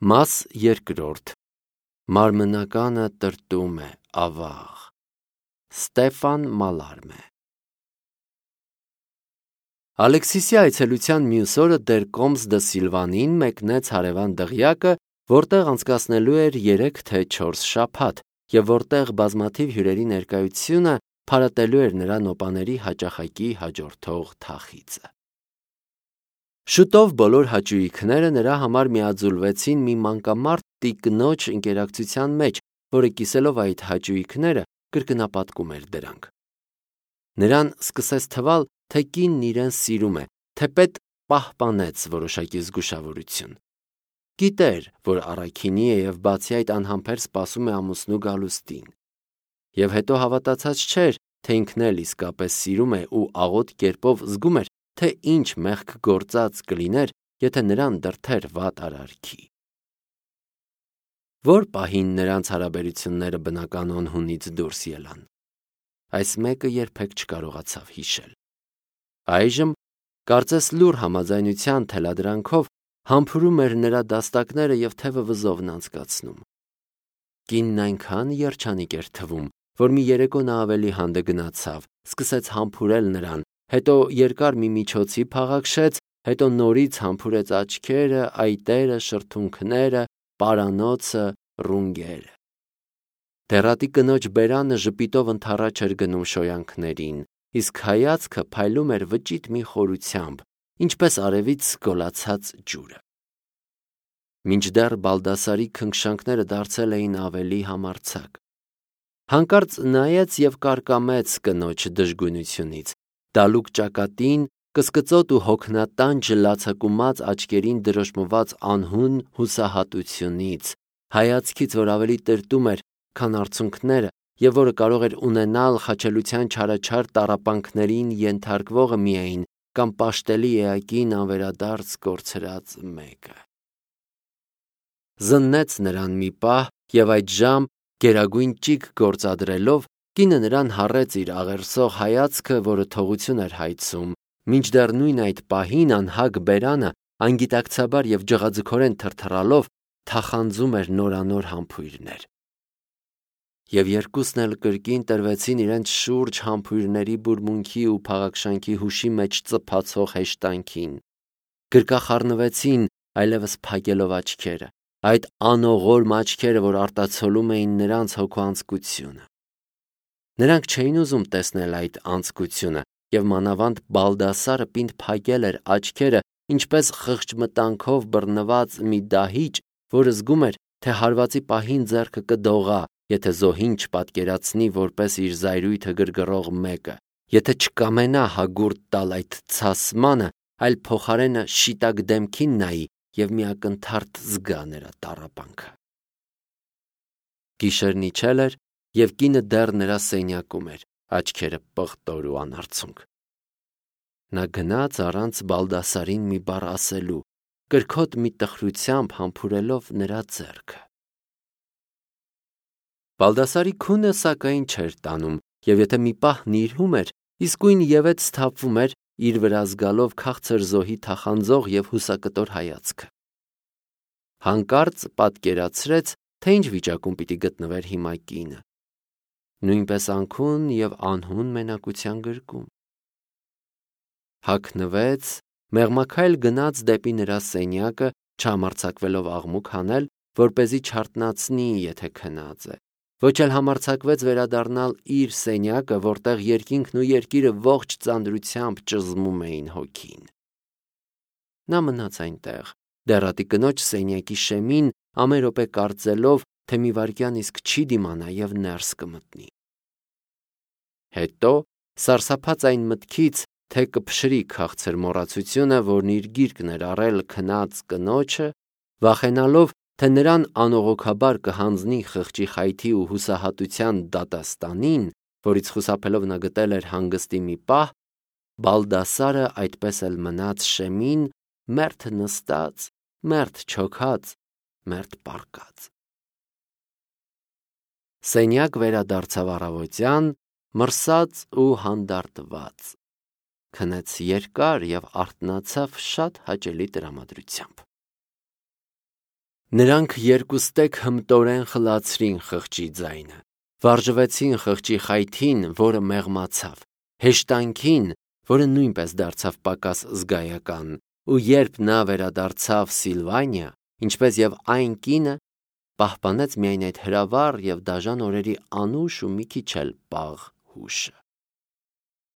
Մաս երկրորդ. Մարմնականը տրտում է, ավաղ։ Ստեֆան Մալարմե։ Ալեքսիսի այցելության մյուս օրը դեր Կոմս դը Սիլվանին մեկնեց հարևան դղյակը, որտեղ անցկացնելու էր 3 թե 4 շաբաթ, և որտեղ բազմաթիվ հյուրերի ներկայությունը փարատելու էր նրա նոպաների հաճախակի հաջորդող թախիծը։ Շուտով բոլոր հաճույքները նրա համար միաձուլվեցին մի մանկամարդ տիկնոջ ընկերակցության մեջ, որը կիսելով այդ հաճույքները կրկնապատկում էր դրանք։ Նրան սկսեց թվալ, թե կինն իրեն սիրում է, թեպետ պահպանեց որոշակի զգուշավորություն։ Գիտեր, որ առաքինի է և բացի այդ անհամբեր սպասում է ամուսնու գալուստին։ Եվ հետո հավատացած չէր, թե ինքն էլ իսկապես սիրում է ու աղոտ կերպով զգում էր, թե ինչ մեղք գործած կլիներ, եթե նրան դրդեր վատ արարքի։ Որ պահին նրանց հարաբերությունները բնականon հունից դուրս ելան։ Այս մեկը երբեք չկարողացավ հիշել։ Այժմ, կարծես լուռ համաձայնության թելադրանքով, համբուրում էր նրա դաստակները և թևը վզովն անցկացնում։ Կինն այնքան երջանիկ էր թվում, որ մի երեկո նա ավելի հանդը գնացավ, սկսեց համբուրել նրան, հետո երկար մի միջոցի փաղաքշեց, հետո նորից համբուրեց աչքերը, այտերը, շրթունքները, պարանոցը, ռունգերը։ Դեռատի կնոջ բերանը ժպիտով ընդառաջ էր գնում շոյանքներին, իսկ հայացքը փայլում էր վճիտ մի խորությամբ, ինչպես արևից գոլացած ջուրը։ Մինչդեռ Բալդասարի քնքշանքները դարձել էին ավելի համարձակ։ Հանկարծ նայեց և կարկամեց կնոջ դժգույնությունից, դալուկ ճակատին, կսկծոտ ու հոգնատանջ լացակումած աչքերին դրոշմված անհուն հուսահատությունից, հայացքից, որ ավելի տրտում էր, քան արցունքները, և որը կարող էր ունենալ խաչելության չարաչար տառապանքներին ենթարկվողը միայն կամ պաշտելի էակին անվերադարձ կորցրած մեկը։ Զննեց նրան մի պահ և այդժամ, գերագույն ճիգ գործադրելով, կինը նրան հառեց իր աղերսող հայացքը, որը թողություն էր հայցում, մինչդեռ նույն այդ պահին անհագ բերանը անգիտակցաբար և ջղաձգորեն թրթռալով թախանձում էր նորանոր համբույրներ։ Եվ երկուսն էլ կրկին տրվեցին իրենց շուրջ համբույրների բուրմունքի ու փաղաքշանքի հուշի մեջ ծփացող հեշտանքին, գրկախառնվեցին, այլևս փակելով աչքերը, այդ անողորմ աչքերը, որ արտացոլում էին նրանց հոգու Նրանք չէին ուզում տեսնել այդ անձկությունը, և մանավանդ Բալդասարը պինդ փակել էր աչքերը, ինչպես խղճմտանքով բռնված մի դահիճ, որը զգում էր, թե հարվածի պահին ձեռքը կդողա, եթե զոհին չպատկերացնի որպես իր զայրույթը գրգռող մեկը, եթե չկամենա հագուրդ տալ այդ ցասմանը, այլ փոխարենը շիտակ դեմքին նայի և մի ակնթարթ զգա նրա տառապանքը։ Գիշերն իջել էր, և կինը դեռ նրա սենյակում էր, աչքերը պղտոր ու անարցունք։ Նա գնաց առանց Բալդասարին մի բառ ասելու, կրքոտ մի տխրությամբ համբուրելով նրա ձեռքը։ Բալդասարի քունը սակայն չէր տանում, և եթե մի պահ նիրհում էր, իսկույն ևեթ սթափվում էր, իր վրա զգալով քաղցր զոհի թախանձող և հուսակտոր հայացքը։ Հանկարծ պատկերացրեց, թե ինչ վիճակում պիտի գտնվեր հիմա կինը։ Նույնպես անքուն և անհուն մենակության գրկում։ Հագնվեց, մեղմաքայլ գնաց դեպի նրա սենյակը, չհամարձակվելով աղմուկ հանել, որպեսզի չարթնացնի, եթե քնած է, ոչ էլ համարձակվեց վերադառնալ իր սենյակը, որտեղ երկինքն ու երկիրը ողջ ծանրությամբ ճզմում էին հոգին։ Նա մնաց այնտեղ, դեռատի կնոջ սենյակի շեմին, ամեն րոպե կարծելով, թե մի վայրկյան իսկ չի դիմանա և ներս կմտնի։ Հետո, սարսափած այն մտքից, թե կփշրի քաղցր մոռացությունը, որն իր գիրկն էր առել քնած կնոջը, վախենալով, թե նրան անողոքաբար կհանձնի խղճի խայթի ու հուսահատության դատաստանին, որից խուսափելով նա գտել էր հանգստի մի պահ, Բալդասարը այդպես էլ մնաց շեմին, մերթ նստած, մերթ չոքած, մերթ պառկած։ Սենյակ վերադարձավ առավոտյան, մրսած ու հանդարտված, քնեց երկար և արթնացավ շատ հաճելի տրամադրությամբ։ Նրանք երկուստեք հմտորեն խլացրին խղճի ձայնը, վարժվեցին խղճի խայթին, որը մեղմացավ, հեշտանքին, որը նույնպես դարձավ պակաս զգայական, ու երբ նա վերադարձավ Սիլվանիա, ինչպես և այն կինը, պահպանեց միայն այդ հրավառ և դաժան օրերի անուշ ու մի քիչ էլ պաղ հուշը։